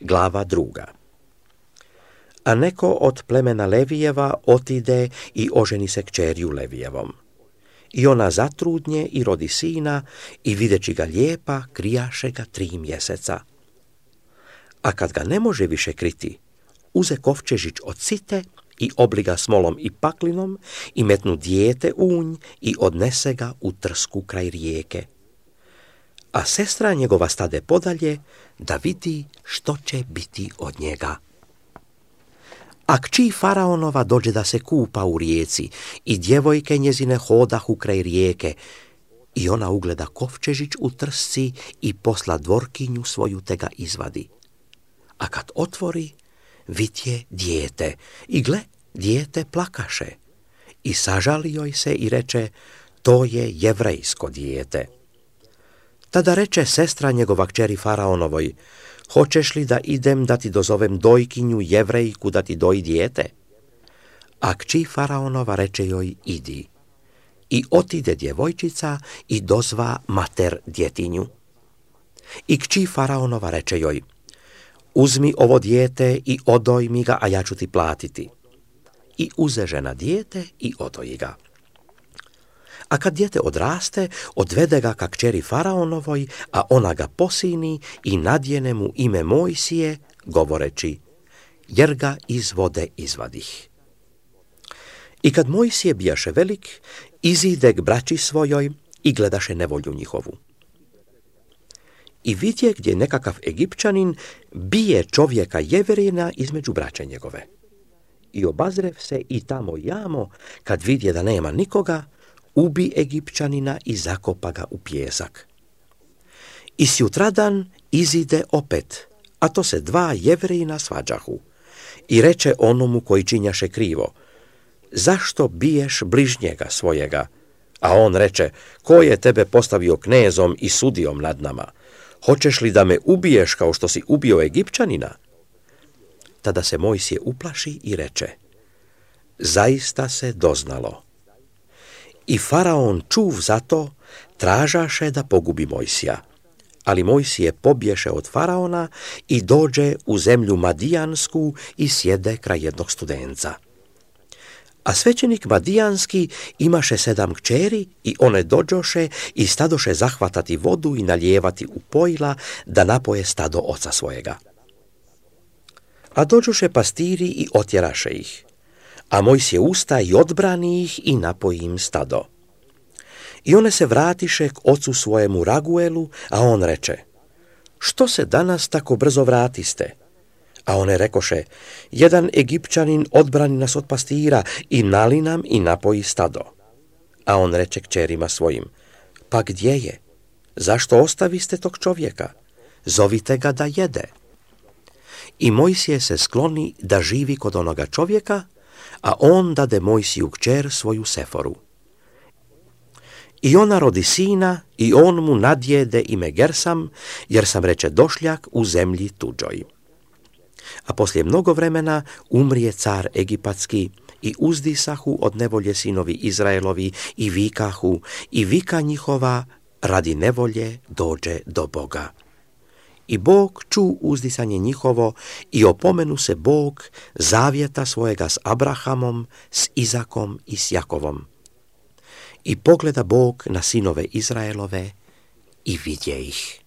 Glava 2. A neko od plemena Levijeva otide i oženi se kćerju Levijevom. I ona zatrudnje i rodi sina i videći ga lijepa, krijaše ga 3 mjeseca. A kad ga ne može više kriti, uze kovčežić od site i obliga smolom i paklinom i metnu dijete u nj i odnese ga u trsku kraj rijeke. A sestra njegova stade podalje da vidi što će biti od njega. A kći faraonova dođe da se kupa u rijeci i djevojke njezine hodahu kraj rijeke i ona ugleda kovčežić u trsci i posla dvorkinju svoju te ga izvadi. A kad otvori, vidje dijete i gle, dijete plakaše i sažali joj se i reče, to je jevrejsko dijete. Tada reče sestra njegova kćeri faraonovoj, hoćeš li da idem da ti dozovem dojkinju jevrejku da ti doji dijete? A kći faraonova reče joj, idi. I otide djevojčica i dozva mater djetinju. I kći faraonova reče joj, uzmi ovo dijete i odoj mi ga, a ja ću ti platiti. I uze žena dijete i odoji ga. A kad dijete odraste, odvede ga ka kćeri faraonovoj, a ona ga posini i nadjene mu ime Mojsije, govoreći, jer ga iz vode izvadih. I kad Mojsije bijaše velik, izide k braći svojoj i gledaše nevolju njihovu. I vidje gdje nekakav Egipćanin bije čovjeka Jevrina između braće njegove. I obazrev se i tamo jamo, kad vidje da nema nikoga, ubi Egipćanina i zakopa ga u pijesak. I sjutradan izide opet, a to se 2 Jevrina svađahu. I reče onomu koji činjaše krivo, zašto biješ bližnjega svojega? A on reče, ko je tebe postavio knezom i sudijom nad nama? Hoćeš li da me ubiješ kao što si ubio Egipćanina? Tada se Mojsije uplaši i reče, zaista se doznalo. I faraon čuv za to, tražaše da pogubi Mojsija. Ali Mojsije pobješe od faraona i dođe u zemlju Madijansku i sjede kraj jednog studenca. A svećenik Madijanski imaše 7 kćeri i one dođoše i stadoše zahvatati vodu i nalijevati u pojila da napoje stado oca svojega. A dođoše pastiri i otjeraše ih. A Mojsije usta i odbrani ih i napoji im stado. I one se vratiše k ocu svojemu Raguelu, a on reče, što se danas tako brzo vratiste? A one rekoše, jedan Egipćanin odbrani nas od pastira i nali nam i napoji stado. A on reče kćerima svojim, pa gdje je? Zašto ostaviste tog čovjeka? Zovite ga da jede. I Mojsije se skloni da živi kod onoga čovjeka, a on dade Mojsiju kćer svoju Seforu. I ona rodi sina i on mu nadjede ime Gersam, jer sam reče došljak u zemlji tuđoj. A poslije mnogo vremena umrije car egipatski i uzdisahu od nevolje sinovi Izraelovi i vikahu i vika njihova radi nevolje dođe do Boga. I Bog ču uzdisanje njihovo i opomenu se Bog zavjeta svojega s Abrahamom, s Izakom i s Jakovom. I pogleda Bog na sinove Izraelove i vidje ih.